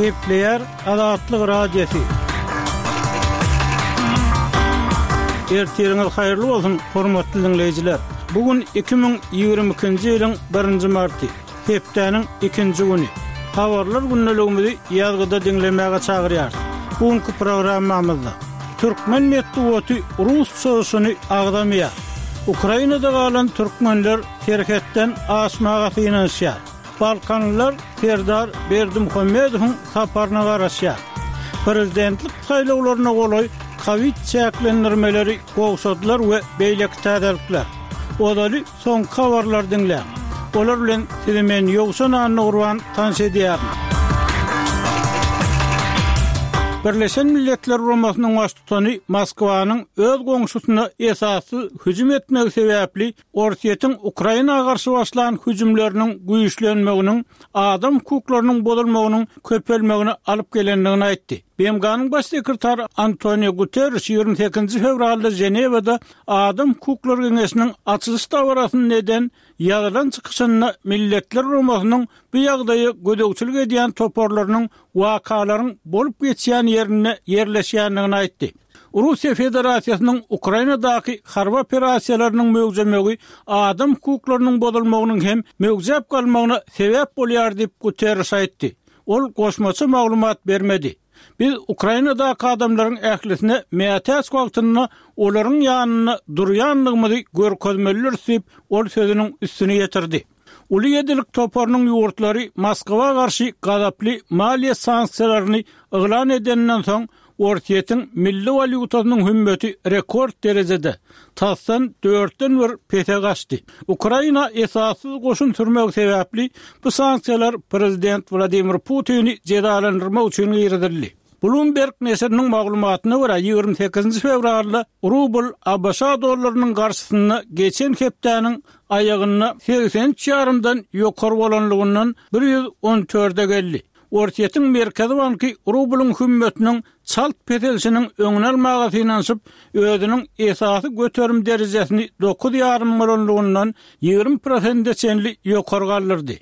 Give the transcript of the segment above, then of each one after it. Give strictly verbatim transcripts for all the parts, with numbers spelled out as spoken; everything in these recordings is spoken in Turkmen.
Gepleýär Azatlyk Radiosy. Ertiriňiz haýyrly bolsun, hormatly diňleýjiler! Bu gün iki müň ýigrimi ikinji ýylyň birinji marty, hepdäniň ikinji güni. Habarlar gündeligimizi ýazgyda diňlemäge çagyrýarys. Bu günki programmamyzda türkmen metbugaty rus çozuşyny agzamaýar. Ukrainada galan türkmenler serhetden aşmaga synanyşýar. Balkanlylar Serdar Berdimuhamedowyň saparyna garaşýar. Prezidentlik saýlawlaryna golaý kowid çäklendirmeleri gowşadylar we beýleki täzelikler. Ozaly soňky habarlary diňläň. Olar bilen sizi men Ýowşan Annagurban tanyş edýärin. Birleşen Milletler Guramasynyň baştutany Moskwanyň öz goňşusyna esassyz hüjüm etmegi sebäpli Orsýetiň Ukraina garşy başlan hüjümleriniň güýçlenmeginiň adam hukuklarynyň bozulmagynyň köpelmegine alyp gelendigini aýtdy. B M G-nyň Baş sekretary Antonio Guterriş ýigrimi sekizinji fewralda Ženewada Adam hukuklary geňeşiniň açylyş dabarasynda eden ýazylan çykyşynda Milletler Guramasynyň bu ýagdaýa gözegçilik edýän toparlarynyň wakalaryň bolup geçýän ýerinde ýerleşýändigini aýtdy. Russiýa Federasiýasynyň Ukrainadaky harby operasiýalarynyň möwjemegi adam hukuklarynyň bozulmagynyň hem möwjäp galmagyna sebäp bolýar diýip Guterriş aýtdy. Ol goşmaça maglumat bermedi. Biz Ukrainadaky adamlaryň ählisine mätäç wagtynda olaryň ýanynda durýandygymyzy görkezmelidiris diýip, ol sözüniň üstüni ýetirdi. Uly ýedilik toparynyň ýurtlary Moskwa garşy gazaply maliýe sanksiýalaryny yglan edeninden soň Orsýetiň milli walýutasynyň hümmeti rekord derejede, tasdan dörtden bir pese gaçdy. Ukraina esassyz goşun sürmegi sebäpli bu sanksiýalar prezident Wladimir Putini jezalandyrmak üçin girizildi. Bloomberg neşiriniň maglumatyna görä, ýigrimi sekizinji fewralda rubl A B Ş dollarynyň garşysynda geçen hepdäniň aýagynda segsen üç ýarymdan ýokary bolanlygyndan bir ýüz on dörde geldi. Orsýetiň Merkezi banky rublyň hümmetiniň çalt peselişiniň öňüni almaga synanyşyp, özüniň esasy göterim derejesini dokuz ýarym bolanlygyndan ýigrimi prosente çenli ýokary galdyrdy.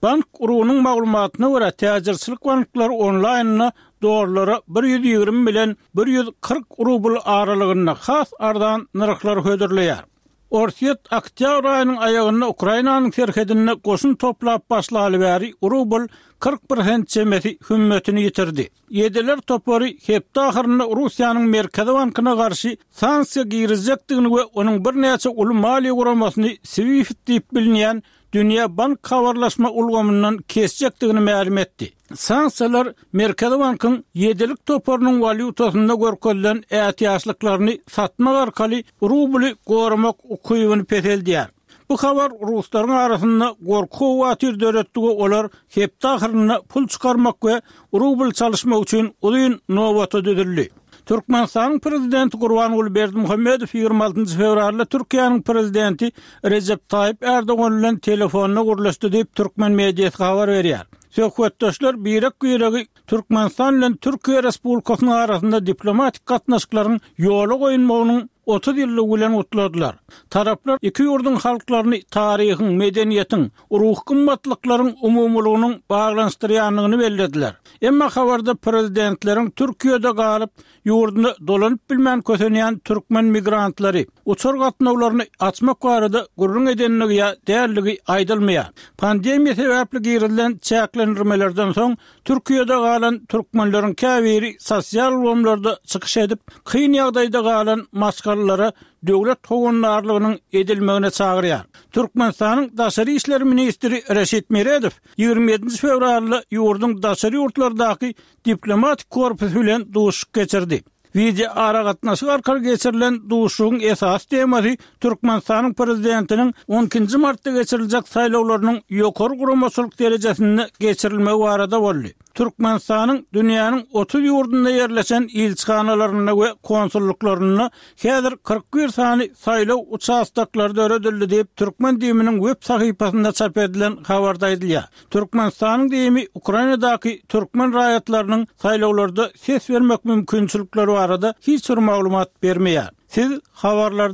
Bank urunyň maglumatyna görä, täjirçilik banklary onlaýnda dollara bir ýüz ýigrimi bilen bir ýüz kyrk rubl aralygynda has arzan nyrhlar hödürleýär. Orsýet oktýabr aýynyň aýagynda Ukrainanyň serhedinde goşun toplap başlaly bäri rubl kyrk prosent çemesi hümmetini ýitirdi. Ýediler topary hepde ahyrynda Russiýanyň Merkezi bankyna garşy sanksiýa girizjekdigini we onuň birnäçe uly maliýe guramasyny SWIFT diýip bilinýän dünýä bank habarlaşma ulgamyndan kesjekdigini mälim etdi. Sanksiýalar Merkezi bankyň ýedilik toparynyň walýutasynda görkezilen ätiýaçlyklaryny satmak arkaly rubly goramak ukybyny peseldýär. Bu habar ruslaryň arasynda gorky-howatyr döretdi we olar hepde ahyrynda pul çykarmak we rubl çalyşmak üçin uzyn nobata düzüldi. Türkmenistanyň Prezidenti Gurbanguly Berdimuhamedow ýigrimi altynjy fewralda Türkiýäniň Prezidenti Rejep Taýyp Erdogan bilen telefonda gürleşdi diýip, türkmen mediasy habar berýär. Söhbetdeşler birek-biregi Türkmenistan bilen Türkiýe Respublikasynyň arasynda diplomatik gatnaşyklaryň ýola goýulmagynyň otuz ýyllygy bilen gutladylar. Taraplar iki ýurduň halklaryny taryhyň, medeniýetiň, ruhy gymmatlyklaryň umumylygynyň baglanyşdyrýandygyny bellediler. Emma habarda prezidentleriň Türkiýede galyp, ýurduna dolanyp bilmän kösenýän türkmen migrantlary, uçar gatnawlaryny açmak barada gürrüň edendigi ýa däldigi aýdylmaýar. Pandemiýa sebäpli girizilen çäklendirmelerden soň Türkiýede galan türkmenleriň käbiri sosial ulgamlarda çykyş edip, kyn ýagdaýda galan maşgalalara döwlet howandarlygynyň edilmegine çagyrýar. Türkmenistanyň Daşary işler ministri Reşit Meredow ýigrimi ýedinji fewralda ýurduň daşary ýurtlardaky diplomatik korpusy bilen duşuşyk geçirdi. Wideo aragatnaşyk arkaly geçirilen duşuşygyň esasy temasy Türkmenistanyň Prezidentiniň on ikinji martda geçiriljek saýlawlarynyň ýokary guramaçylyk derejesinde geçirilmegi barada boldy. Türkmenistanyň dünýäniň otuz ýurdunda ýerleşen ilçihanalarynda we konsulluklarynda häzir kyrk bir sany saýlaw uçastoklary döredildi diýip, Türkmen D I M-iniň web sahypasynda çap edilen habarda aýdylýar. Türkmenistanyň D I M-i Ukrainadaky türkmen raýatlarynyň saýlawlarda ses bermek mümkinçilikleri barada hiç bir maglumat bermeýär. Siz habarlarda